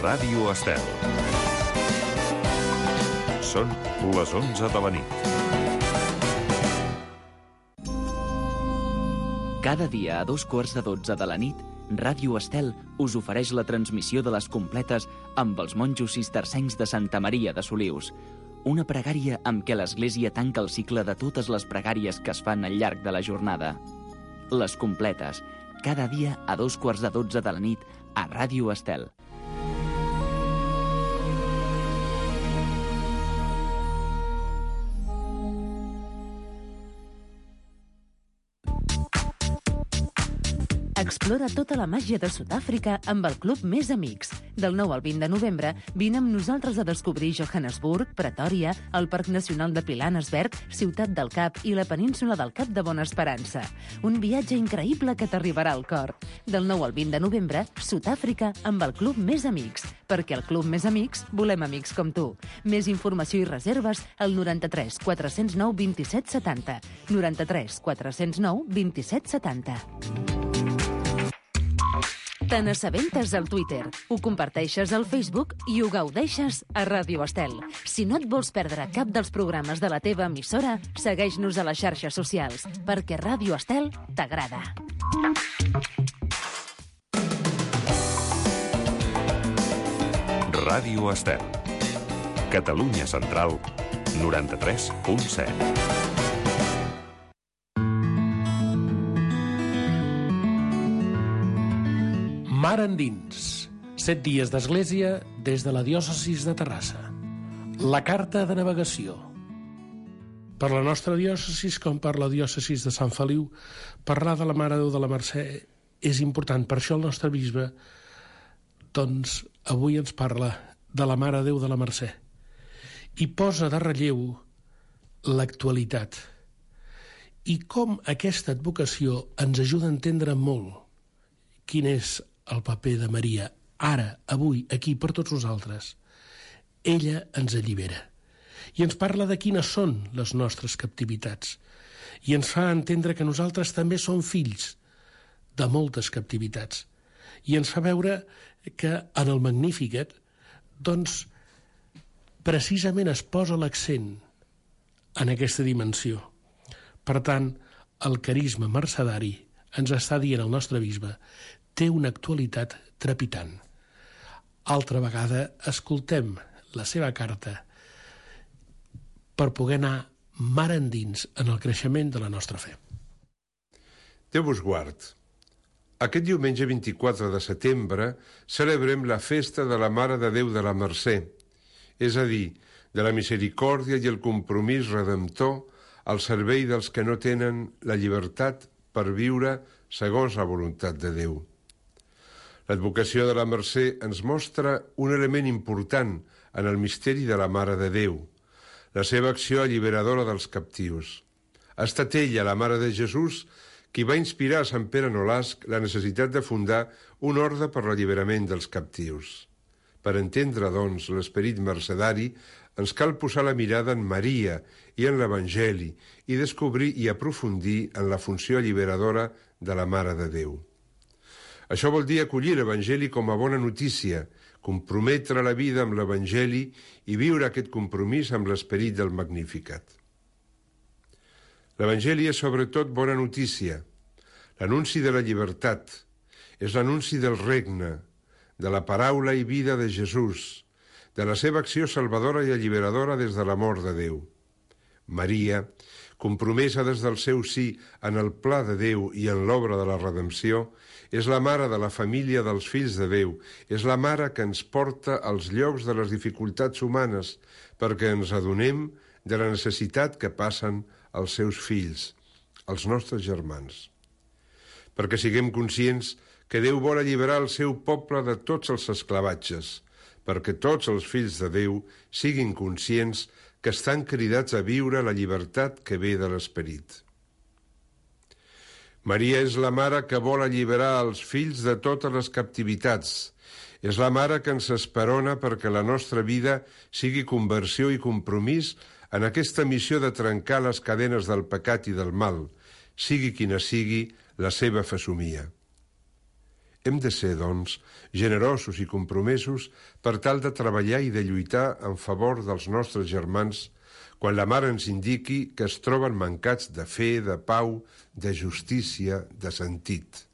Ràdio Estel. Són les 11 de la nit. Cada dia a 2:15 de la nit, Ràdio Estel us ofereix la transmissió de les completes amb els monjos cistercencs de Santa Maria de Solius. Una pregària amb què l'Església tanca el cicle de totes les pregàries que es fan al llarg de la jornada. Les completes, cada dia a 2:15 de la nit a Ràdio Estel. Explora tota la màgia de Sud-àfrica amb el Club Més Amics. Del 9 al 20 de novembre, vine amb nosaltres a descobrir Johannesburg, Pretòria, el Parc Nacional de Pilanesberg, Ciutat del Cap i la península del Cap de Bona Esperança. Un viatge increïble que t'arribarà al cor. Del 9 al 20 de novembre, Sud-àfrica amb el Club Més Amics. Perquè al Club Més Amics volem amics com tu. Més informació i reserves al 93 409 27 70. 93 409 27 70. Te n'assabentes al Twitter, ho comparteixes al Facebook i ho gaudeixes a Ràdio Estel. Si no et vols perdre cap dels programes de la teva emissora, segueix-nos a les xarxes socials, perquè Ràdio Estel t'agrada. Ràdio Estel. Catalunya Central, 93.7. Mar endins. 7 dies d'església des de la diòcesis de Terrassa. La carta de navegació. Per la nostra diòcesis, com per la diòcesis de Sant Feliu, parlar de la Mare de Déu de la Mercè és important. Per això el nostre bisbe, doncs, avui ens parla de la Mare de Déu de la Mercè i posa de relleu l'actualitat i com aquesta advocació ens ajuda a entendre molt quin és el paper de Maria, ara, avui, aquí, per tots nosaltres. Ella ens allibera. I ens parla de quines són les nostres captivitats. I ens fa entendre que nosaltres també som fills de moltes captivitats. I ens fa veure que en el Magnificat, doncs, precisament es posa l'accent en aquesta dimensió. Per tant, el carisma mercedari ens està dient el nostre bisbe té una actualitat trepitant. Altra vegada escoltem la seva carta per poder anar mar endins en el creixement de la nostra fe. Déu vos guard. Aquest diumenge 24 de setembre celebrem la festa de la Mare de Déu de la Mercè, és a dir, de la misericòrdia i el compromís redemptor al servei dels que no tenen la llibertat per viure segons la voluntat de Déu. L'advocació de la Mercè ens mostra un element important en el misteri de la Mare de Déu, la seva acció alliberadora dels captius. Ha estat ella, la Mare de Jesús, qui va inspirar a Sant Pere Nolasc la necessitat de fundar un orde per l'alliberament dels captius. Per entendre, doncs, l'esperit mercedari, ens cal posar la mirada en Maria i en l'Evangeli i descobrir i aprofundir en la funció alliberadora de la Mare de Déu. Això vol dir acollir l'Evangeli com a bona notícia, comprometre la vida amb l'Evangeli i viure aquest compromís amb l'esperit del Magnificat. L'Evangeli és sobretot bona notícia, l'anunci de la llibertat, és l'anunci del regne, de la paraula i vida de Jesús, de la seva acció salvadora i alliberadora des de l'amor de Déu. Maria, compromesa des del seu sí en el pla de Déu i en l'obra de la redempció, és la mare de la família dels fills de Déu, és la mare que ens porta als llocs de les dificultats humanes perquè ens adonem de la necessitat que passen els seus fills, els nostres germans. Perquè siguem conscients que Déu vol alliberar el seu poble de tots els esclavatges, perquè tots els fills de Déu siguin conscients que estan cridats a viure la llibertat que ve de l'esperit. Maria és la mare que vol alliberar els fills de totes les captivitats. És la mare que ens esperona perquè la nostra vida sigui conversió i compromís en aquesta missió de trencar les cadenes del pecat i del mal, sigui quina sigui la seva fesomia. Hem de ser, doncs, generosos i compromesos per tal de treballar i de lluitar en favor dels nostres germans quan la mare ens indiqui que es troben mancats de fe, de pau, de justícia, de sentit.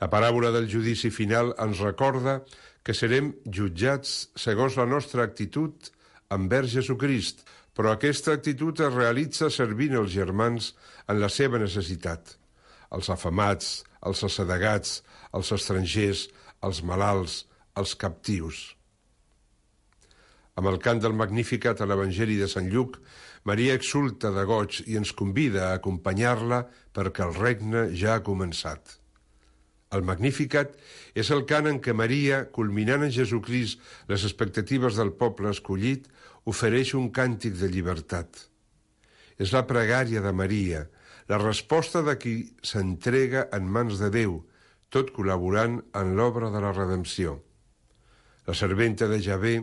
La paràbola del judici final ens recorda que serem jutjats segons la nostra actitud envers Jesucrist, però aquesta actitud es realitza servint els germans en la seva necessitat. Els afamats, els assedegats, els estrangers, els malalts, els captius. Amb el cant del Magnificat a l'Evangeli de Sant Lluc, Maria exulta de goig i ens convida a acompanyar-la perquè el regne ja ha començat. El Magnificat és el cant en què Maria, culminant en Jesucrist les expectatives del poble escollit, ofereix un càntic de llibertat. És la pregària de Maria, la resposta de qui s'entrega en mans de Déu, tot col·laborant en l'obra de la redempció. La serventa de Javé,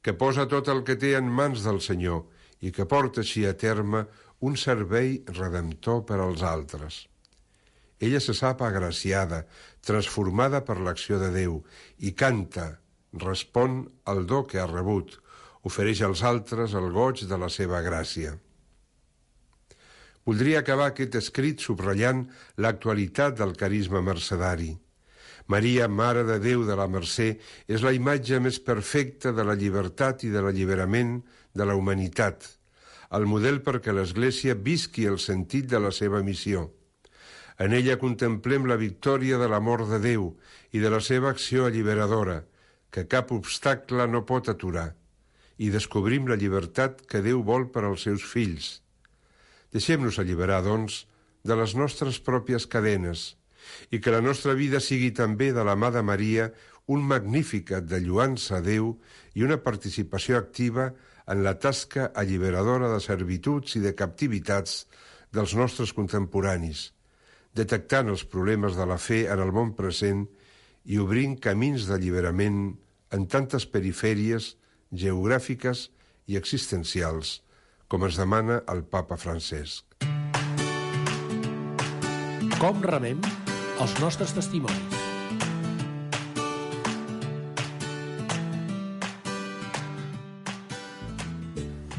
que posa tot el que té en mans del Senyor i que porta així a terme un servei redemptor per als altres. Ella se sap agraciada, transformada per l'acció de Déu, i canta, respon al do que ha rebut, ofereix als altres el goig de la seva gràcia. Voldria acabar aquest escrit subratllant l'actualitat del carisma mercedari. Maria, Mare de Déu de la Mercè, és la imatge més perfecta de la llibertat i de l'alliberament de la humanitat, el model perquè l'Església visqui el sentit de la seva missió. En ella contemplem la victòria de l'amor de Déu i de la seva acció alliberadora, que cap obstacle no pot aturar, i descobrim la llibertat que Déu vol per als seus fills. Deixem-nos alliberar, doncs, de les nostres pròpies cadenes i que la nostra vida sigui també de la mà de Maria un Magnificat de lluança a Déu i una participació activa en la tasca alliberadora de servituds i de captivitats dels nostres contemporanis, detectant els problemes de la fe en el món present i obrint camins d'alliberament en tantes perifèries geogràfiques i existencials, com ens demana el papa Francesc. Com remem els nostres testimonis?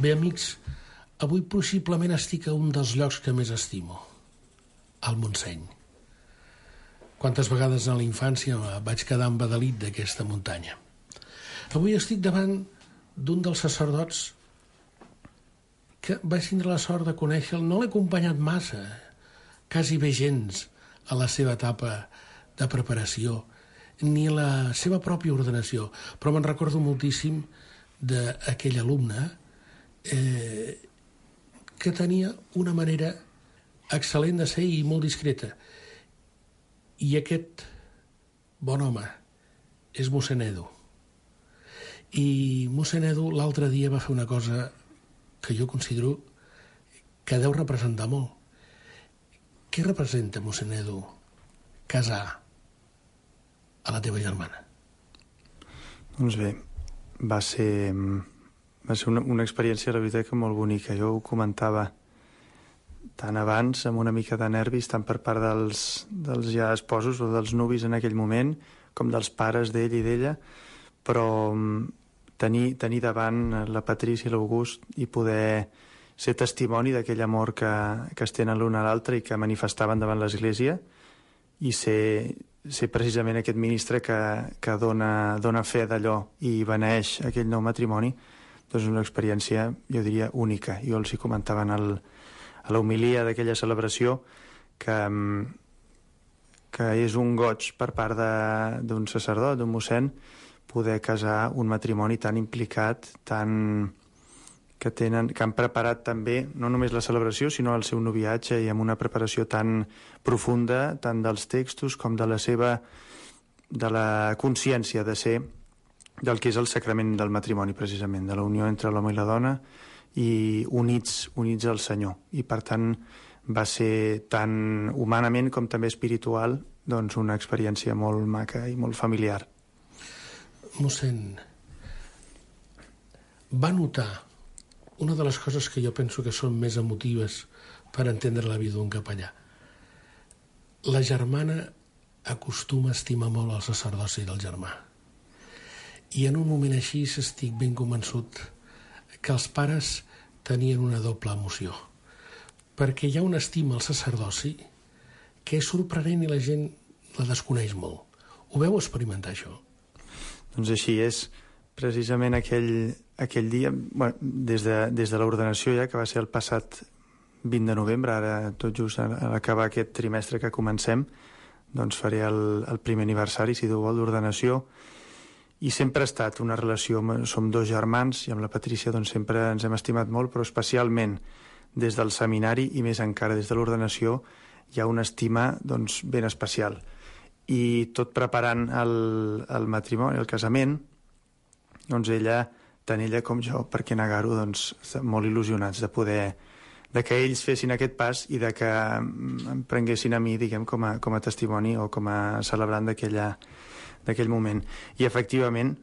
Bé, amics, avui possiblement estic a un dels llocs que més estimo, al Montseny. Quantes vegades a la infància vaig quedar embadalit d'aquesta muntanya. Avui estic davant d'un dels sacerdots que vaig tindre la sort de conèixer. No l'he acompanyat massa, quasi bé gens, a la seva etapa de preparació, ni a la seva pròpia ordenació, però me'n recordo moltíssim d'aquell alumne que tenia una manera excel·lent de ser i molt discreta. I aquest bon home és mossèn Edu. I mossèn Edu l'altre dia va fer una cosa que jo considero que deu representar molt. Què representa, mossèn Edu, casar a la teva germana? Doncs bé, va ser una experiència, la veritat, que molt bonica. Jo ho comentava tant abans, amb una mica de nervis, tant per part dels ja esposos o dels nuvis en aquell moment, com dels pares d'ell i d'ella, però tenir davant la Patrícia i l'August i poder ser testimoni d'aquell amor que es tenen l'un a l'altre i que manifestaven davant l'Església, i ser precisament aquest ministre que dona fe d'allò i beneeix aquell nou matrimoni, doncs una experiència, jo diria, única. Jo els hi comentava a la homilia d'aquella celebració que és un goig per part d'un sacerdot, d'un mossèn, poder casar un matrimoni tan implicat, que han preparat també no només la celebració, sinó el seu noviatge, i amb una preparació tan profunda, tant dels textos com de la consciència de ser del que és el sacrament del matrimoni, precisament, de la unió entre l'home i la dona, i units al Senyor. I per tant va ser tan humanament com també espiritual, doncs una experiència molt maca i molt familiar. Mossèn, va notar una de les coses que jo penso que són més emotives per entendre la vida d'un capellà. La germana acostuma a estimar molt el sacerdoci del germà. I en un moment així estic ben convençut que els pares tenien una doble emoció, perquè hi ha una estima al sacerdoci que és sorprenent i la gent la desconeix molt. Ho veu experimentar, això? Doncs així és. Precisament aquell dia, bueno, des de l'ordenació ja, que va ser el passat 20 de novembre, ara tot just a l'acabar aquest trimestre que comencem, doncs faré el primer aniversari, si Déu vol, d'ordenació, i sempre ha estat una relació, som dos germans, i amb la Patrícia doncs sempre ens hem estimat molt, però especialment des del seminari i més encara des de l'ordenació hi ha una estima doncs, ben especial. I tot preparant el matrimoni, el casament, doncs tant ella com jo, per què negar-ho, doncs molt il·lusionats de que ells fessin aquest pas i de que em prenguessin a mi, diguem, com a testimoni o com a celebrant d'aquell moment. I efectivament,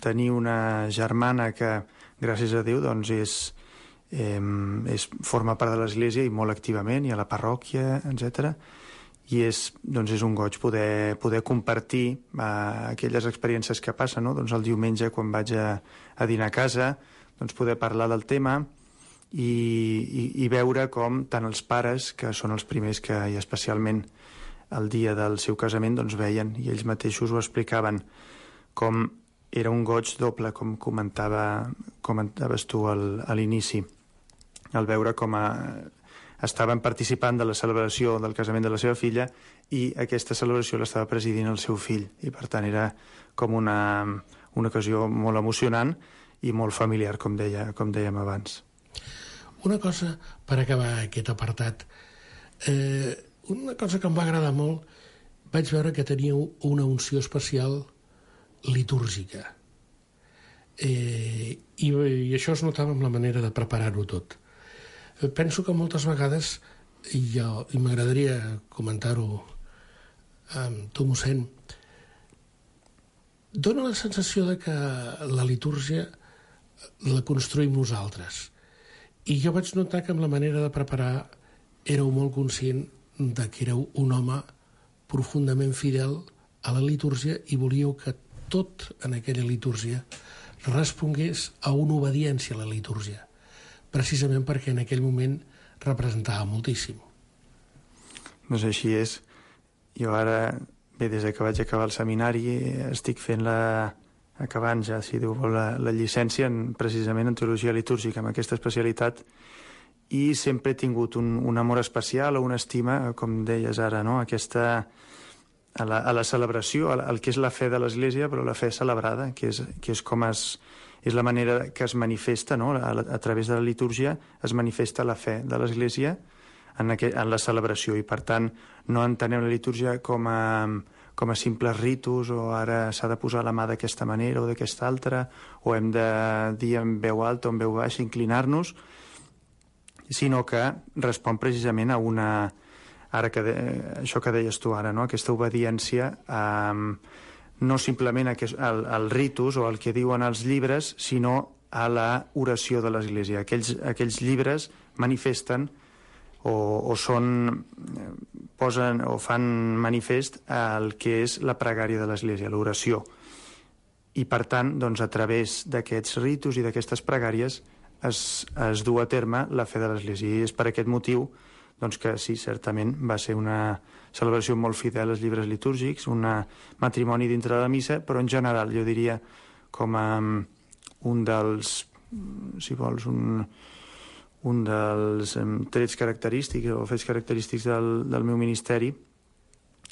tenir una germana que, gràcies a Déu, doncs forma part de l'Església i molt activament, i a la parròquia, etc. I és un goig poder compartir aquelles experiències que passen, no? Doncs el diumenge, quan vaig a dinar a casa, doncs poder parlar del tema i veure com tant els pares, que són els primers que, i especialment el dia del seu casament, doncs veien, i ells mateixos ho explicaven, com era un goig doble, com comentaves tu a l'inici, al veure com estaven participant de la celebració del casament de la seva filla i aquesta celebració l'estava presidint el seu fill, i per tant era com una ocasió molt emocionant i molt familiar, com dèiem abans. Una cosa per acabar aquest apartat, una cosa que em va agradar molt, vaig veure que teníeu una unció especial litúrgica, i això es notava amb la manera de preparar-ho tot. Penso que moltes vegades, i m'agradaria comentar-ho amb tu, mossèn, dona la sensació de que la litúrgia la construïm nosaltres. I jo vaig notar que amb la manera de preparar éreu molt conscient de que éreu un home profundament fidel a la litúrgia i volíeu que tot en aquella litúrgia respongués a una obediència a la litúrgia, precisament perquè en aquell moment representava moltíssim. Doncs així és. Jo ara, des que vaig acabar el seminari, estic fent acabant ja, si Déu vol, la llicència precisament en teologia litúrgica, amb aquesta especialitat, i sempre he tingut un amor especial o una estima, com deies ara, no? A la celebració, al que és la fe de l'Església, però la fe celebrada, que és la manera que es manifesta, no? A través de la litúrgia es manifesta la fe de l'Església en la celebració, i per tant no entenem la litúrgia com a simples ritus, o ara s'ha de posar la mà d'aquesta manera o d'aquesta altra, o hem de dir en veu alta o en veu baixa, inclinar-nos, sinó que respon precisament a això que deies tu ara, no? Aquesta obediència no simplement al ritus o al que diuen els llibres, sinó a la oració de l'Església. Aquells llibres manifesten posen o fan manifest el que és la pregària de l'Església, l'oració. I per tant, doncs, a través d'aquests ritus i d'aquestes pregàries es du a terme la fe de l'Església. I és per aquest motiu doncs, que sí, certament va ser una celebració molt fidel als llibres litúrgics, un matrimoni dintre de la missa, però en general jo diria com a un dels, si vols, un dels trets característics o fets característics del meu ministeri,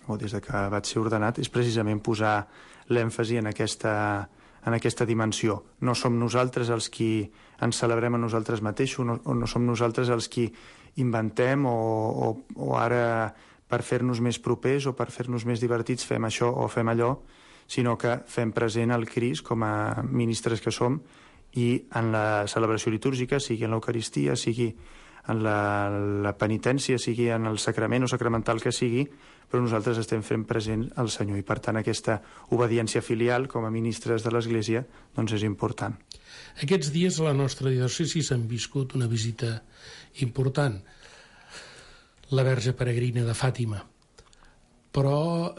o des que vaig ser ordenat, és precisament posar l'èmfasi en aquesta dimensió. No som nosaltres els qui ens celebrem a nosaltres mateixos, o no som nosaltres els qui inventem o ara per fer-nos més propers o per fer-nos més divertits fem això o fem allò, sinó que fem present el Crist com a ministres que som, i en la celebració litúrgica, sigui en l'Eucaristia, sigui en la penitència, sigui en el sacrament o sacramental que sigui, però nosaltres estem fent present el Senyor, i per tant aquesta obediència filial com a ministres de l'Església doncs és important. Aquests dies a la nostra diòcesi s'han viscut una visita important, la Verge Peregrina de Fàtima, però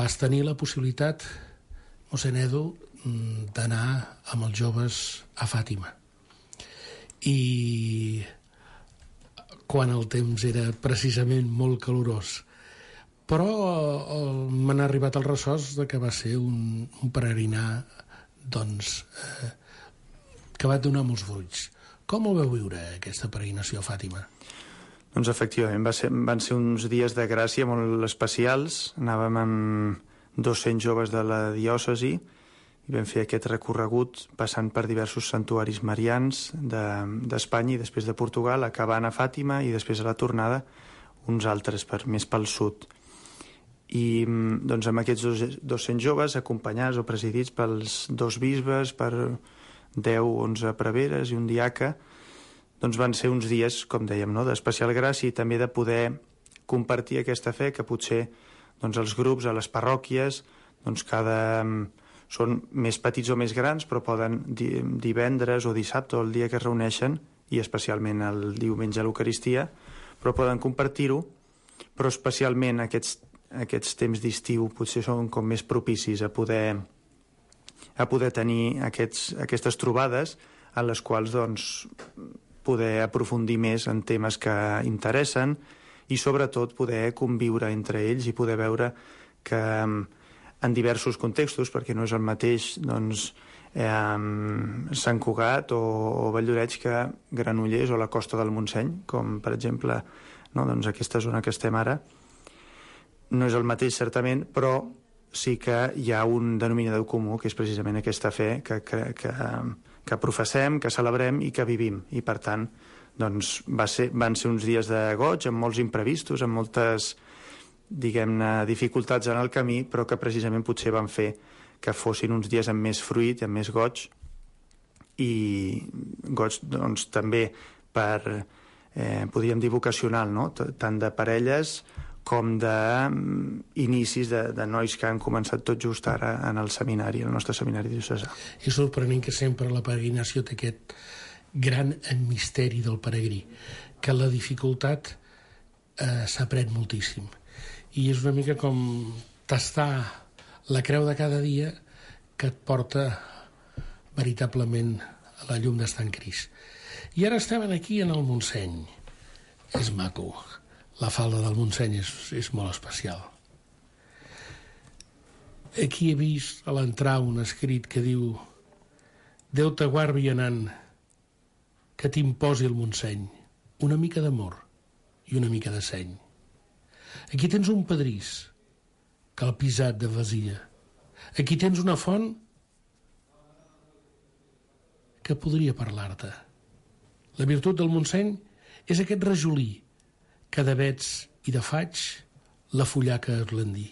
vas tenir la possibilitat, mossèn Edu, d'anar amb els joves a Fàtima. I quan el temps era precisament molt calorós. Però m'han arribat els ressorts de que va ser un peregrinar que va donar molts fruits. Com el vau viure, aquesta peregrinació a Fàtima? Doncs efectivament, van ser uns dies de gràcia molt especials. Anàvem amb 200 joves de la diòcesi i vam fer aquest recorregut passant per diversos santuaris marians d'Espanya i després de Portugal, acabant a Fàtima i després a la tornada uns altres més pel sud. I doncs amb aquests 200 joves acompanyats o presidits pels 2 bisbes, per 10-11 preveres i un diaca, doncs van ser uns dies, com dèiem, no?, d'especial gràcia i també de poder compartir aquesta fe que potser doncs, els grups a les parròquies doncs, són més petits o més grans, però poden divendres o dissabte o el dia que es reuneixen, i especialment el diumenge a l'Eucaristia, però poden compartir-ho, però especialment aquests temps d'estiu potser són com més propicis a poder tenir aquestes trobades en les quals doncs, poder aprofundir més en temes que interessen i sobretot poder conviure entre ells i poder veure que en diversos contextos, perquè no és el mateix doncs, Sant Cugat o Valldoreix que Granollers o la Costa del Montseny, com per exemple no, doncs aquesta zona que estem ara. No és el mateix certament, però sí que hi ha un denominador comú, que és precisament aquesta fe que professem, que celebrem i que vivim. I per tant, doncs, van ser uns dies de goig, amb molts imprevistos, amb moltes, diguem-ne, dificultats en el camí, però que precisament potser van fer que fossin uns dies amb més fruit, amb més goig, i goig doncs, també per, podríem dir, vocacional, no? Tant de parelles com d'inicis de nois que han començat tot just ara en el seminari, en el nostre seminari diocesà. És sorprenent que sempre la peregrinació té aquest gran misteri del peregrí, que la dificultat s'aprèn moltíssim. I és una mica com tastar la creu de cada dia que et porta veritablement a la llum d'estar en Crist. I ara estem aquí en el Montseny. És maco. La falda del Montseny és molt especial. Aquí he vist a l'entrar un escrit que diu: Déu te guard vianant, que t'imposi el Montseny una mica d'amor i una mica de seny. Aquí tens un pedrís que el pisat de vasia. Aquí tens una font que podria parlar-te. La virtut del Montseny és aquest rajolí que d'avets i de faig la fullaca esblandir.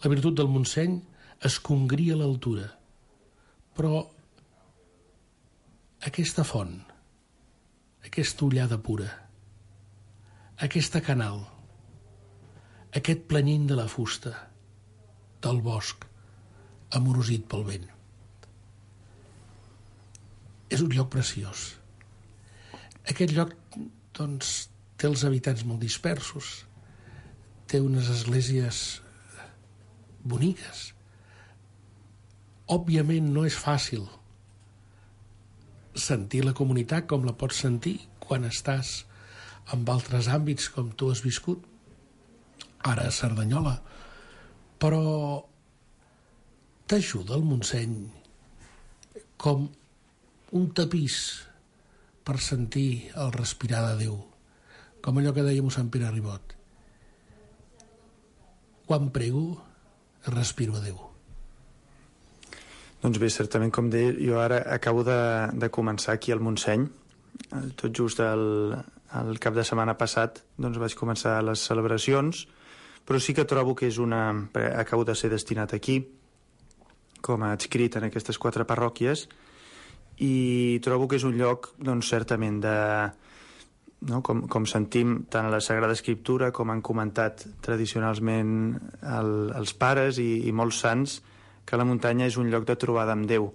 La virtut del Montseny es congria a l'altura. Però aquesta font, aquesta ullada pura, aquesta canal, aquest planyint de la fusta, del bosc, amorosit pel vent. És un lloc preciós. Aquest lloc, doncs, té els habitants molt dispersos, té unes esglésies boniques. Òbviament no és fàcil sentir la comunitat com la pots sentir quan estàs en altres àmbits com tu has viscut, ara a Cerdanyola, però t'ajuda el Montseny com un tapís per sentir el respirar de Déu, com allò que deia mossèn Pere Ribot: quan prego respiro a Déu. Doncs bé, certament, com deia, jo ara acabo de començar aquí al Montseny. Tot just el cap de setmana passat doncs vaig començar les celebracions, però sí que trobo que és acabo de ser destinat aquí com a adscrit en aquestes 4 parròquies, i trobo que és un lloc doncs certament no? Com sentim tant a la Sagrada Escriptura com han comentat tradicionalment els pares i molts sants, que la muntanya és un lloc de trobada amb Déu.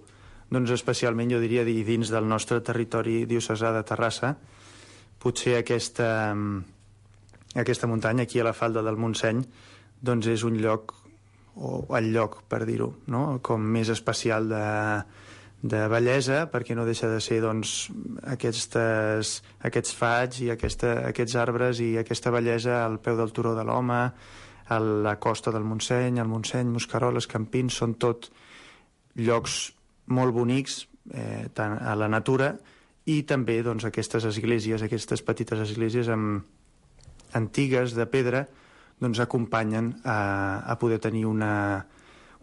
Doncs especialment, jo diria, dins del nostre territori diocesà de Terrassa, potser aquesta muntanya aquí a la falda del Montseny doncs és un lloc o el lloc, per dir-ho, no? Com més especial de bellesa, perquè no deixa de ser doncs, aquests faigs i aquests arbres i aquesta bellesa al peu del Turó de l'Home, a la costa del Montseny, el Montseny, Mosqueroles, Campins, són tot llocs molt bonics tant a la natura, i també doncs, aquestes esglésies, aquestes petites esglésies antigues de pedra, doncs acompanyen a poder tenir una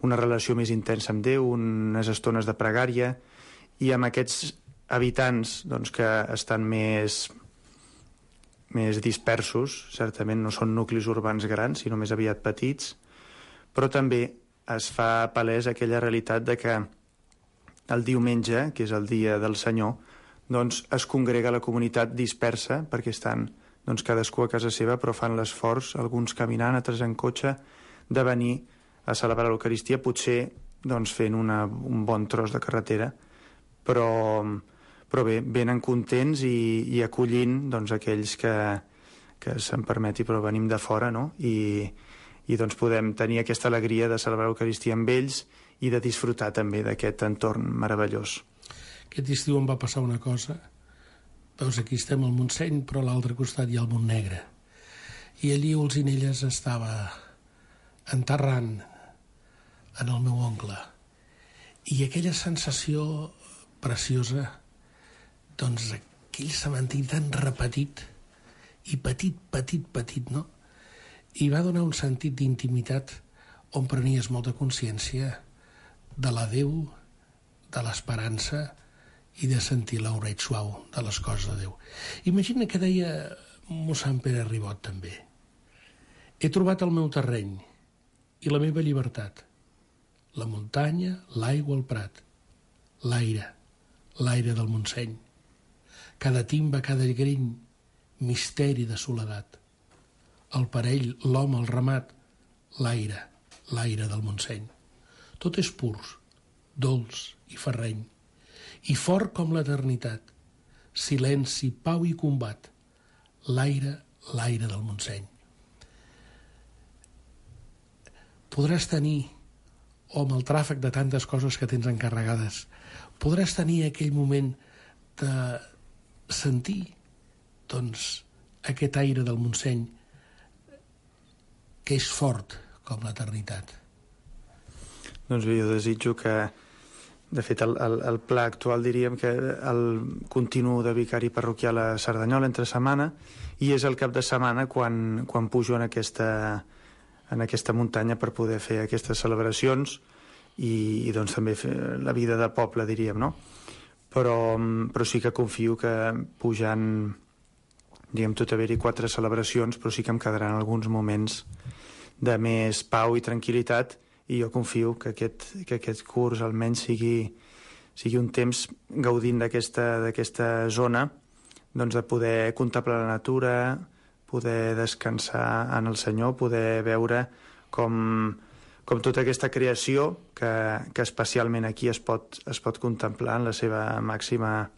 relació més intensa amb Déu, unes estones de pregària, i amb aquests habitants doncs, que estan més dispersos, certament no són nuclis urbans grans, sinó més aviat petits, però també es fa palès aquella realitat de que el diumenge, que és el dia del Senyor, doncs es congrega la comunitat dispersa, perquè estan doncs, cadascú a casa seva, però fan l'esforç, alguns caminant, altres en cotxe, de venir a celebrar l'Eucaristia, potser doncs, fent un bon tros de carretera, però bé, venen contents i acollint doncs, aquells que se'm permeti, però venim de fora, no? I doncs podem tenir aquesta alegria de celebrar l'Eucaristia amb ells i de disfrutar també d'aquest entorn meravellós. Aquest estiu em va passar una cosa. Veus, aquí estem al Montseny, però a l'altre costat hi ha el Montnegre. I allí Olzinelles estava enterrant en el meu oncle. I aquella sensació preciosa, doncs aquell cementiri tan repetit, i petit, no? I va donar un sentit d'intimitat on prenies molta consciència de la Déu, de l'esperança i de sentir l'oreig suau de les coses de Déu. Imagina que deia mossèn Pere Ribot també: he trobat el meu terreny i la meva llibertat, la muntanya, l'aigua, el prat, l'aire del Montseny, cada timba, cada griny, misteri de soledat, el parell, l'home, el ramat, l'aire del Montseny. Tot és purs, dolç i ferreny, i fort com l'eternitat, silenci, pau i combat, l'aire del Montseny. Podràs tenir, o amb el tràfic de tantes coses que tens encarregades, podràs tenir aquell moment de sentir, doncs, aquest aire del Montseny, que és fort com l'eternitat. Doncs bé, jo desitjo que, de fet, el pla actual diríem que el continu de vicari parroquial a Cerdanyola entre setmana, i és el cap de setmana quan pujo en aquesta muntanya per poder fer aquestes celebracions i doncs també fer la vida de poble, diríem, no? Però sí que confio que pujant, diguem, tot haver-hi 4 celebracions, però sí que em quedaran alguns moments de més pau i tranquil·litat, i jo confio que aquest curs almenys sigui un temps gaudint d'aquesta zona, doncs de poder contemplar la natura, poder descansar en el Senyor, poder veure com tota aquesta creació que especialment aquí es pot contemplar en la seva màxima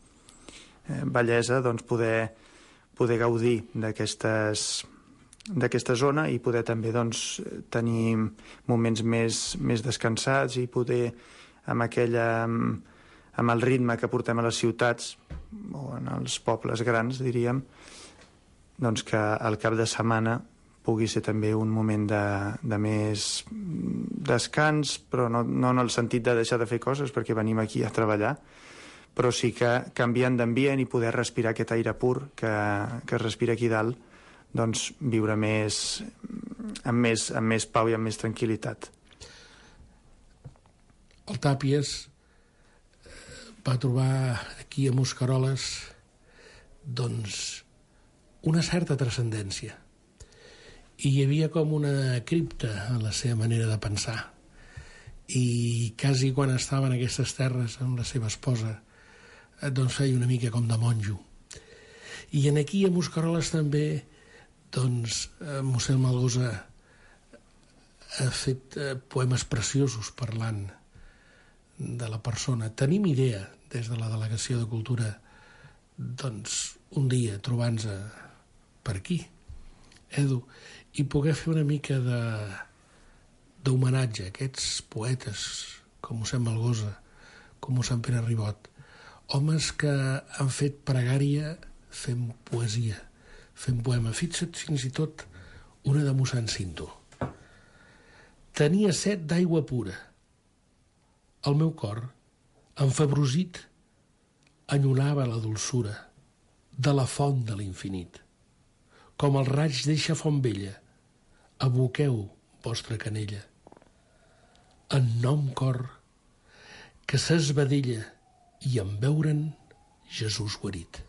bellesa, doncs poder gaudir d'aquesta zona i poder també doncs, tenir moments més descansats i poder amb el ritme que portem a les ciutats o en els pobles grans, diríem, doncs que al cap de setmana pugui ser també un moment de més descans, però no en el sentit de deixar de fer coses perquè venim aquí a treballar, però sí que canviant d'ambient i poder respirar aquest aire pur que es respira aquí dalt, doncs viure amb més pau i amb més tranquil·litat. El Tàpies va trobar aquí a Mosqueroles doncs una certa transcendència, i hi havia com una cripta en la seva manera de pensar, i quasi quan estava en aquestes terres amb la seva esposa doncs feia una mica com de monjo. I aquí a Mosqueroles també doncs mossèn Malgosa ha fet poemes preciosos parlant de la persona. Tenim idea des de la Delegació de Cultura doncs un dia trobant-nos per aquí, Edu, i poder fer una mica d'homenatge a aquests poetes com mossèn Malgosa, com mossèn Pere Ribot, homes que han fet pregària fent poesia, fent poema. Fixa't fins i tot una de mossèn Cinto. Tenia set d'aigua pura. El meu cor, enfebrosit, enyorava la dolçura de la font de l'infinit. Com el raig d'eixa font vella, aboqueu vostra canella. En nom cor, que s'esvedella i en veure'n Jesús guarit.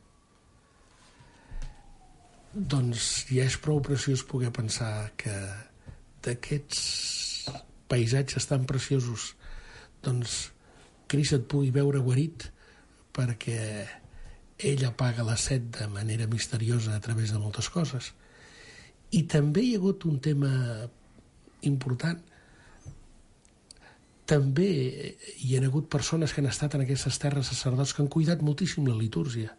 Doncs ja és prou preciós poder pensar que d'aquests paisatges tan preciosos doncs Crist et pugui veure guarit perquè ell apaga la set de manera misteriosa a través de moltes coses. I també hi ha hagut un tema important. També hi ha hagut persones que han estat en aquestes terres, sacerdots que han cuidat moltíssim la litúrgia.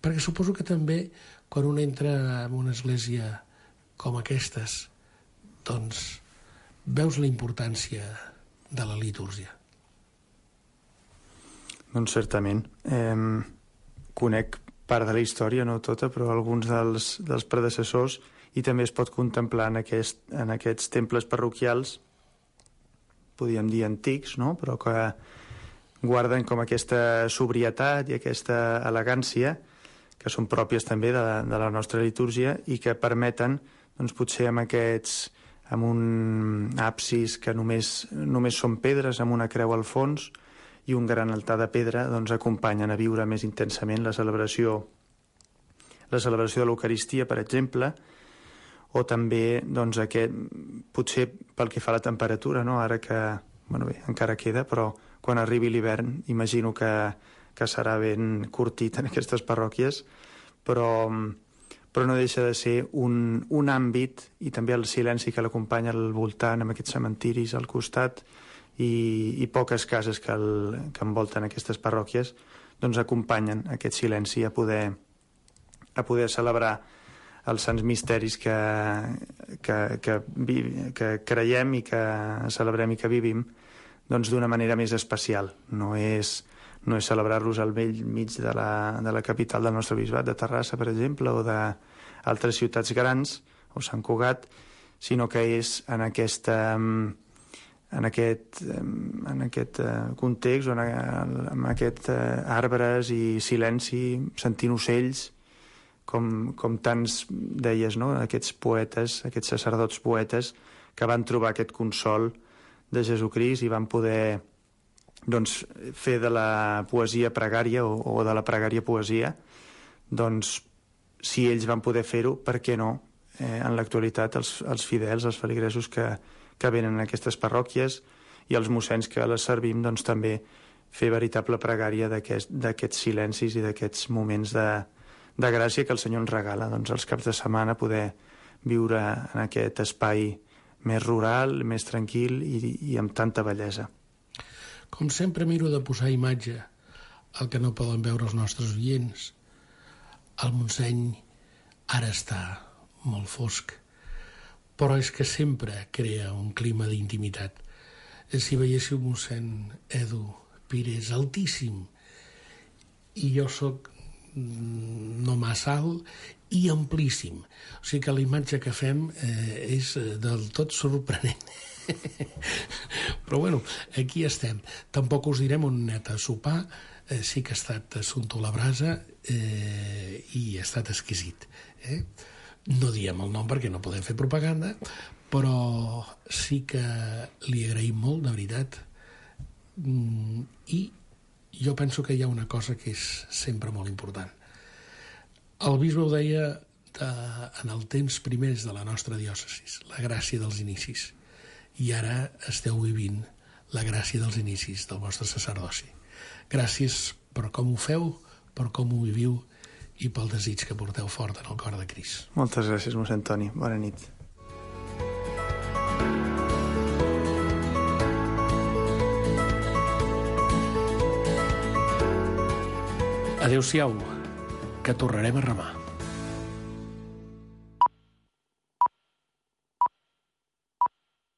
Perquè suposo que també quan un entra en una església com aquestes, doncs veus la importància de la litúrgia. Doncs certament. Conec part de la història, no tota, però alguns dels predecessors, i també es pot contemplar en aquests temples parroquials, podríem dir antics, no? Però que guarden com aquesta sobrietat i aquesta elegància que són pròpies també de la nostra litúrgia i que permeten, doncs, potser amb un absis que només són pedres, amb una creu al fons i un gran altar de pedra, doncs acompanyen a viure més intensament la celebració de l'Eucaristia, per exemple, o també, doncs, potser pel que fa a la temperatura, no? Ara que, bueno, bé, encara queda, però quan arribi l'hivern imagino que serà ben curtit en aquestes parròquies, però no deixa de ser un àmbit, i també el silenci que l'acompanya al voltant, amb aquests cementiris al costat, i poques cases que envolten aquestes parròquies, doncs acompanyen aquest silenci a poder celebrar els sants misteris que creiem i que celebrem i que vivim, doncs d'una manera més especial. No és celebrar-los al vell mig de la capital del nostre bisbat, de Terrassa, per exemple, o d'altres ciutats grans, o Sant Cugat, sinó que és en aquest context, amb aquests arbres i silenci, sentint ocells, com tants deies, no? Aquests poetes, aquests sacerdots poetes que van trobar aquest consol de Jesucrist i van poder, doncs, fer de la poesia pregària o de la pregària poesia. Doncs, si ells van poder fer-ho, per què no? En l'actualitat, els fidels, els feligresos que venen a aquestes parròquies i els mossens que les servim, doncs també fer veritable pregària d'aquests silencis i d'aquests moments de gràcia que el Senyor ens regala, doncs, els caps de setmana, poder viure en aquest espai més rural, més tranquil i amb tanta bellesa. Com sempre miro de posar imatge al que no poden veure els nostres oients. El Montseny ara està molt fosc, però és que sempre crea un clima d'intimitat. Si veiéssiu mossèn Edu Pires, altíssim, i jo sóc no massa alt i amplíssim. O sigui que la imatge que fem és del tot sorprenent. Però bueno, aquí estem. Tampoc us direm on hem anat a sopar. Sí que ha estat assumpte a la brasa i ha estat exquisit. No diem el nom perquè no podem fer propaganda, però sí que li agraïm molt, de veritat. I jo penso que hi ha una cosa que és sempre molt important. El bisbe ho deia en els temps primers de la nostra diòcesis, la gràcia dels inicis. I ara esteu vivint la gràcia dels inicis del vostre sacerdoci. Gràcies per com ho feu, per com ho viviu i pel desig que porteu fort en el cor de Crist. Moltes gràcies, mossèn Toni. Bona nit. Adéu-siau, que tornarem a remar.